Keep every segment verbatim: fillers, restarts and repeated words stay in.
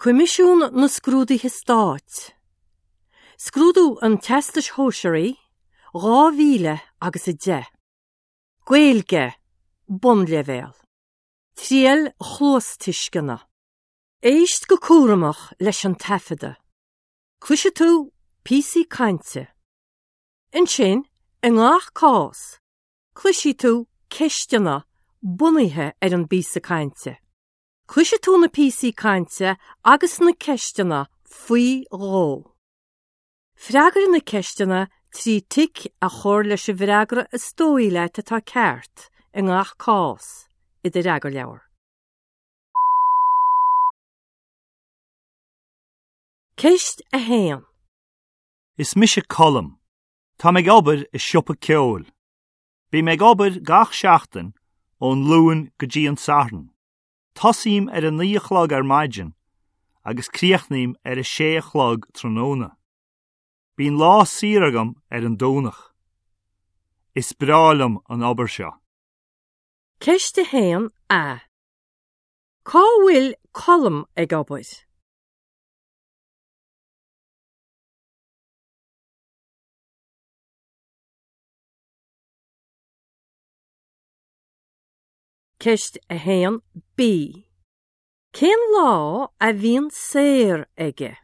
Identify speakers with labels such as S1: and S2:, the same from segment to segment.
S1: Coimisiún na Scrúduithe Stáit. Scrúdú an Teastais Shóisearaigh, dhá mhíle agus a deich. Gaeilge, Bunleibhéal. Triail chluastuisceana. Éist go cúramach leis an taifeadadh. Cloisfidh tú píosaí cainte. Ansin, i ngach cás, cloisfidh tú ceisteanna bunaithe ar an bpíosa cainte. Cloisfidh tú na píosaí cainte agus na ceisteanna faoi dhó. Freagair na ceisteanna trí tic a chur leis an bhfreagra is dóigh leat atá ceart i ngach cás i do fhreagarleabhar. Ceist a haon.
S2: Is mise Colm. Táim ag obair i siopa ceoil. Bím ag obair gach seachtain ón Luan go dtí an Satharn. Tosaím ar a naoi a chlog ar maidin agus críochnaím ar a sé a chlog tráthnóna. Bíonn lá saor agam ar an Domhnach. Is breá liom an obair seo.
S1: Ceist a haon A. Cá bhfuil Colm ag obair? Ceist a haon B. Cén lá a bhíonn saor aige?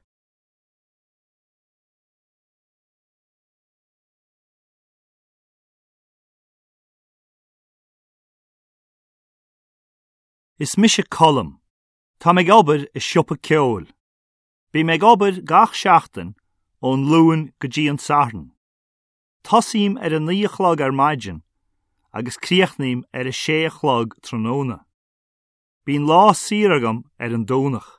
S2: Is mise Colm. Táim ag obair i siopa ceoil. Bím ag obair gach seachtain ón Luan go dtí an Satharn. Tosaím ar a naoi a chlog ar maidin agus críochnaím ar a sé a chlog tráthnóna. Bíonn lá saor agam ar an Domhnach.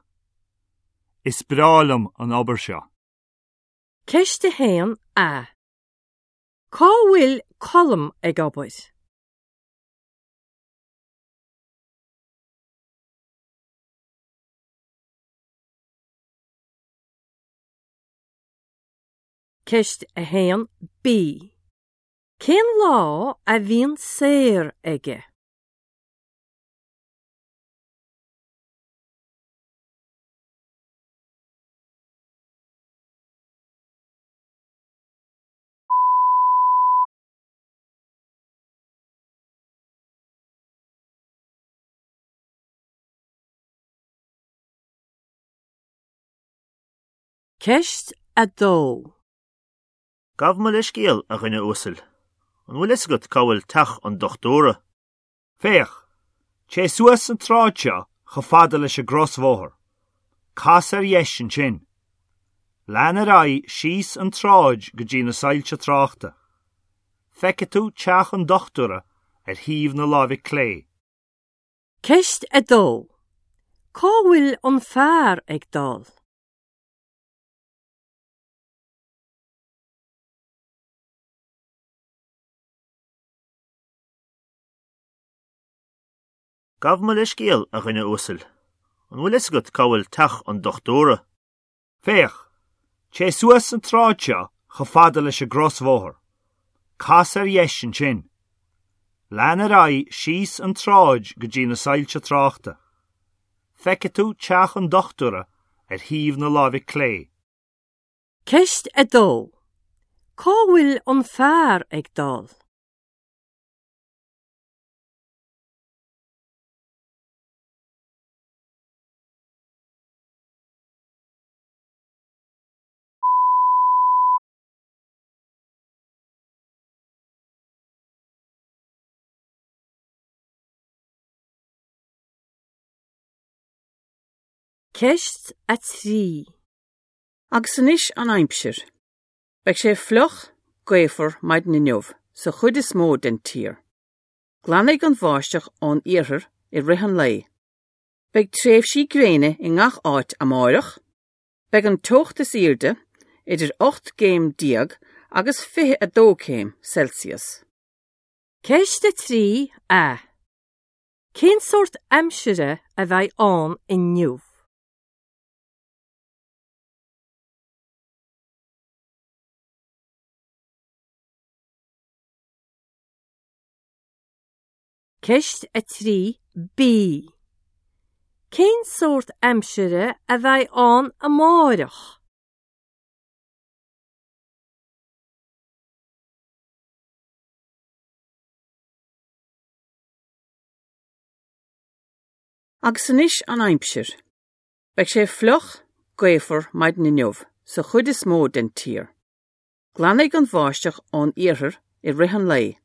S2: Is breá liom an obair seo.
S1: Ceist a haon A. Cá bhfuil Colm ag obair? Ceist a haon B. Cén lá a bhíonn saor aige? Ceist a dó.
S3: Gabh mo leithscéal, a dhuine uasail. An bhfuil fhios agat cá bhfuil teach an dochtúra?
S2: Féach, téigh suas an tsráid seo chomh fada leis an gcrosbhóthar. Cas ar dheis ansin. Lean ar aghaidh síos an tsráid go dtí na soilse tráchta. Feicfidh tú teach an dochtúra ar thaobh na láimhe clé.
S1: Ceist a dó. Cá bhfuil an fear ag dul?
S3: Gabh mo leithscéal, a dhuine uasail. An bhfuil fhios agat cá bhfuil teach an dochtúra?
S2: Féach, téigh suas an tsráid seo chomh fada leis an gcrosbhóthar. Cas ar dheis ansin. Lean ar aghaidh síos an tsráid go dtí na soilse tráchta. Feicfidh tú teach an dochtúra ar thaobh na láimhe clé.
S1: Ceist a dó. Cá bhfuil an fear ag dul? Ceist a trí.
S4: Agus anois an aimsir. Beidh sé fliuch, gaofar maidin inniu sa chuid is mó den tír. Glanfaidh an bháisteach ón iarthar i rith an lae. Beidh tréimhsí gréine i ngach áit amárach. Beidh an teocht is airde idir ocht gcéim déag agus fiche a dó céim Celsius.
S1: Ceist a trí A. Cén sórt aimsire a bheidh ann inniu? Ceist a trí B. Cén sórt aimsire a bheidh ann amárach?
S4: Agus anois an aimsir. Beidh sé fliuch, gaofar maidin inniu sa chuid is mó den tír. Glanfaidh an bháisteach ón iarthar i rith an lae.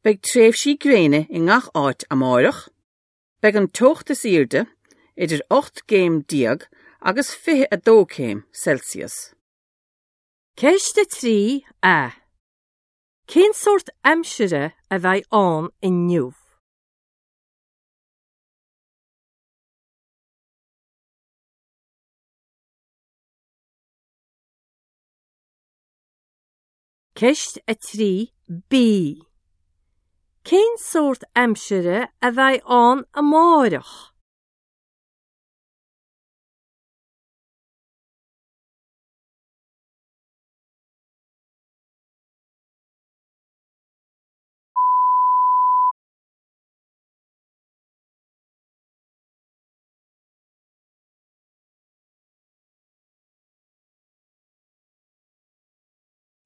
S4: Beidh tréimhsí gréine i ngach áit amárach. Beidh an teocht is airde idir ocht gcéim déag agus fiche a dó céim Celsius.
S1: Ceist a trí A. Cén sórt aimsire a bheidh ann inniu? Ceist a trí B. Cén sórt aimsire a bheidh ann amárach?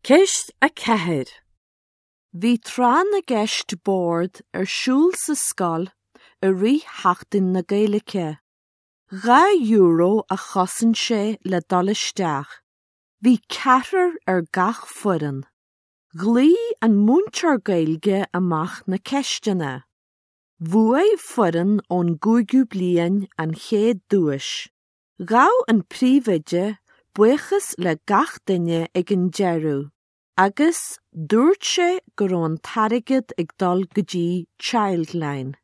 S1: Ceist a ceathair.
S5: Bhí tráth na gceist boird ar siúl sa scoil i rith Sheachtain na Gaeilge. Dhá euro a chosain sé le dul isteach. Bhí ceathrar ar gach foireann. Ghlaoigh an múinteoir Gaeilge amach na ceisteanna. Bhuaigh foireann ón gcúigiú bliain an chéad duais. Ghabh an príomhoide buíochas le gach duine ag an deireadh, agus dúirt sé go raibh an t-airgead ag dul go dtí Childline.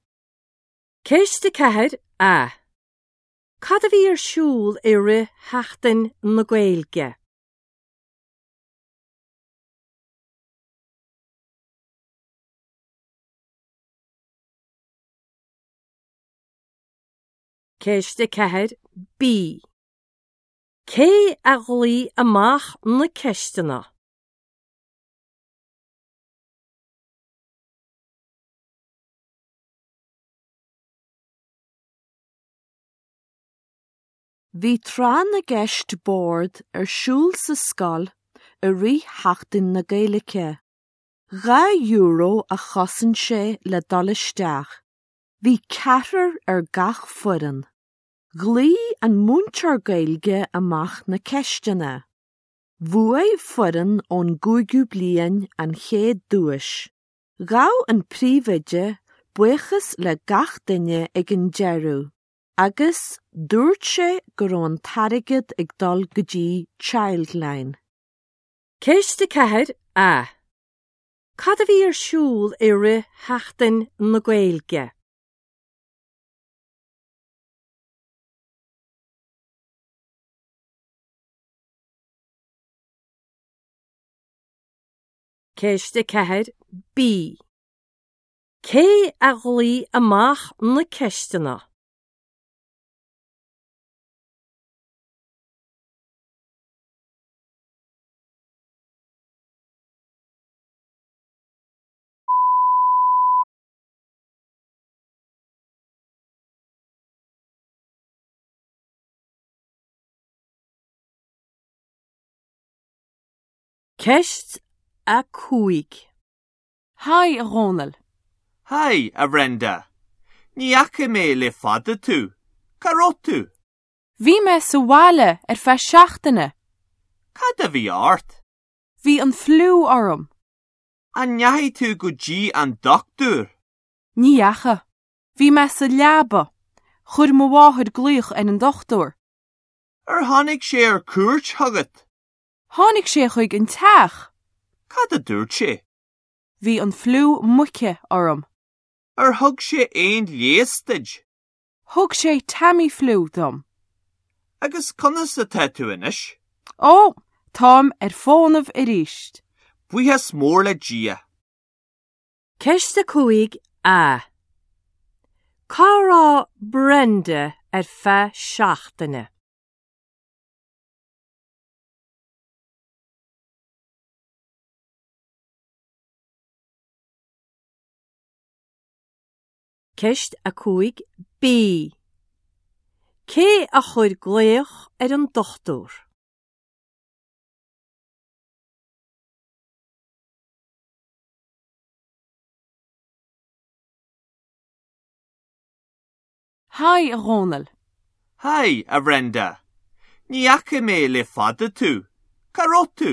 S1: Ceist a ceathair A. Cad a bhí ar siúl i rith Sheachtain na Gaeilge? Ceist a ceathair B. Cé a ghlaoigh amach na ceisteanna?
S5: Bhí tráth na gceist boird ar siúl sa scoil i rith Sheachtain na Gaeilge. Dhá euro a chosain sé le dul isteach. Bhí ceathrar ar gach foireann. Ghlaoigh an múinteoir Gaeilge amach na ceisteanna. Bhuaigh foireann ón gcúigiú bliain an chéad duais. Ghabh an príomhoide buíochas le gach duine ag an deireadh, agus dúirt sé go raibh an t-airgead ag dul go dtí Childline.
S1: Ceist a ceathair A. Cad a bhí ar siúl i rith Sheachtain na Gaeilge? Ceist a ceathair B. Cé a ghlaoigh amach na ceisteanna? Ceist a cúig.
S6: Haigh a Dhónaill.
S7: Haigh a Bhrenda. Ní fhaca mé le fada tú. Cá raibh tú?
S6: Bhí mé sa bhaile ar feadh seachtaine.
S7: Cad a bhí ort?
S6: Bhí an fliú orm.
S7: An ndeachaigh tú go dtí an dochtúir?
S6: Ní fhaca. Bhí mé sa leaba. Chuir mo mháthair glaoch ar an dochtúir.
S7: Ar tháinig sé ar cuairt chugat?
S6: Tháinig sé chuig an teach.
S7: Cad a dúirt sé?
S6: Bhí an fliú muice orm.
S7: Ar thug sé aon leigheas duit?
S6: Thug sé Tamiflu dom.
S7: Agus conas atá tú anois?
S6: Ó, táim ar fónamh arís.
S7: Buíochas mór le Dia.
S1: Ceist a cúig A. Cá raibh Brenda ar feadh seachtaine? Ceist a cúig B. Cé a chuir glaoch ar an dochtúir?
S6: Haigh a Dhónaill.
S7: Haigh, a Bhrenda. Ní fhaca mé le fada tú. Cá raibh tú?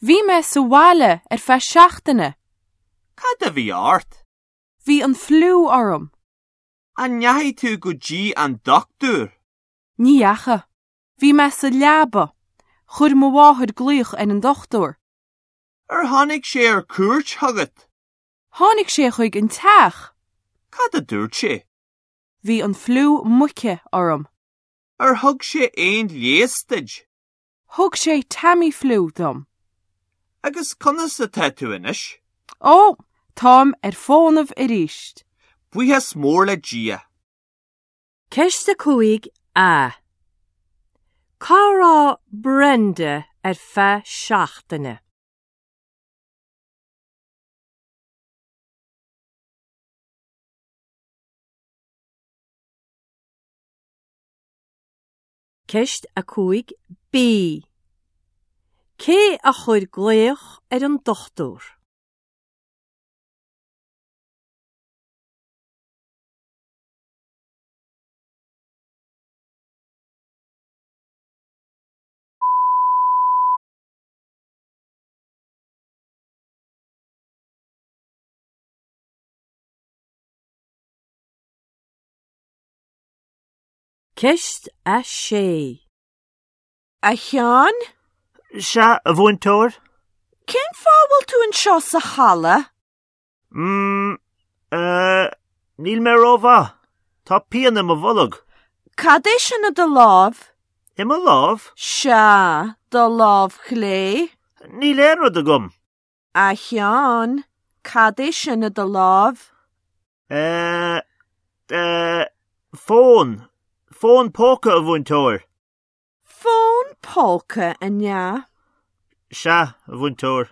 S6: Bhí mé sa bhaile ar feadh seachtaine.
S7: Cad a bhí ort?
S6: Bhí an fliú orm.
S7: An ndeachaigh tú go dtí an dochtúir?
S6: Ní dheachaigh. Bhí mé sa leaba. Chuir mo mháthair glaoch ar an dochtúir.
S7: Ar tháinig sé ar cuairt chugat?
S6: Tháinig sé chuig an teach.
S7: Cad a dúirt sé?
S6: Bhí an fliú muice orm.
S7: Ar thug sé aon leigheas duit?
S6: Thug sé Tamiflu dom.
S7: Agus conas atá tú anois?
S6: Ó, táim ar fónamh arís.
S7: Buíochas mór le Dia.
S1: Ceist a cúig A. Cá raibh Brenda ar feadh seachtaine? Ceist a cúig B. Cé a chuir glaoch ar an dochtúir? Ceist a sé.
S5: A Sheáin?
S3: Sea, a mhúinteoir?
S5: Cén fáth a bhfuil tú anseo sa halla?
S3: Mm, eh, níl mé rómhaith. Tá pian i mo bholg.
S5: Cad é sin i do lámh?
S3: I mo lámh?
S5: Sea, do lámh chlé.
S3: Níl aon rud agam.
S5: A Sheáin, cad é sin i do lámh?
S3: Eh, eh, fón. Fón póca a mhúinteoir.
S5: Fón póca, an ea?
S3: Sea, a mhúinteoir.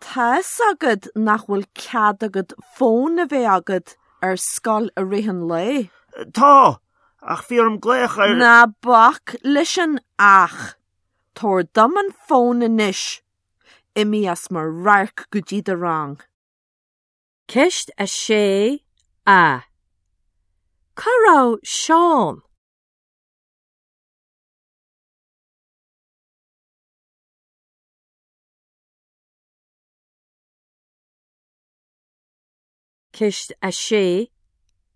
S5: Tá fhios agat nach bhfuil cead agat fón a bheith agat ar scoil i rith an lae.
S3: Tá, ach bhí orm glaoch ar...
S5: Ná bac leis an ach. Tabhair dom an fón anois. Imigh as mo radharc go dtí do rang.
S1: Ceist a sé A. Cá raibh Seán? Ceist a sé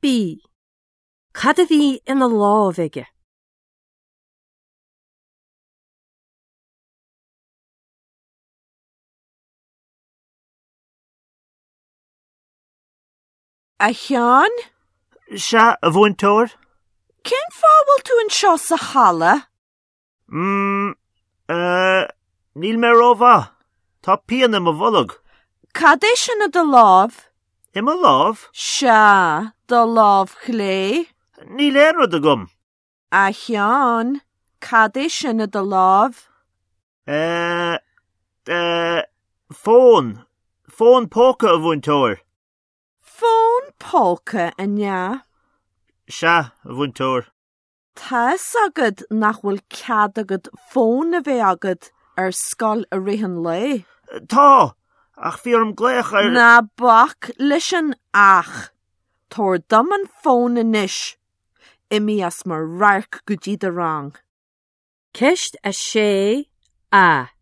S1: B. Cad a bhí ina lámh aige?
S5: A Sheáin?
S3: Sea, a mhúinteoir?
S5: Cén fáth a bhfuil tú anseo sa halla?
S3: Mm, eh, níl mé rómhaith. Tá pian i mo bholg.
S5: Cad é sin i do lámh?
S3: I mo lámh?
S5: Sea, do lámh chlé.
S3: Níl aon rud agam.
S5: A Sheáin, cad é sin i do lámh?
S3: Eh, eh, fón. Fón póca a mhúinteoir.
S5: Fón póca, an ea?
S3: Sea, a mhúinteoir.
S5: Tá fhios agat nach bhfuil cead agat fón a bheith agat ar scoil i rith an lae.
S3: Tá, ach bhí orm glaoch ar...
S5: Ná bac leis an ach. Tabhair dom an fón anois. Imigh as mo radharc go dtí do rang.
S1: Ceist a sé A.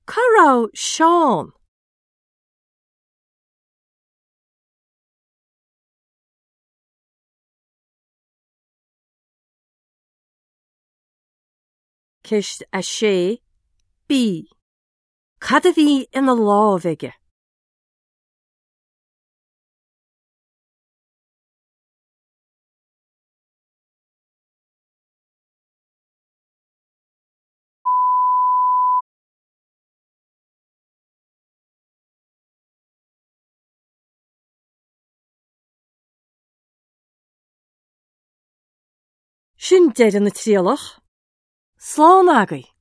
S1: Cá raibh Seán? Ceist a sé B. Cad a bhí ina lámh aige? Sin deireadh na trialach. Slán agaibh.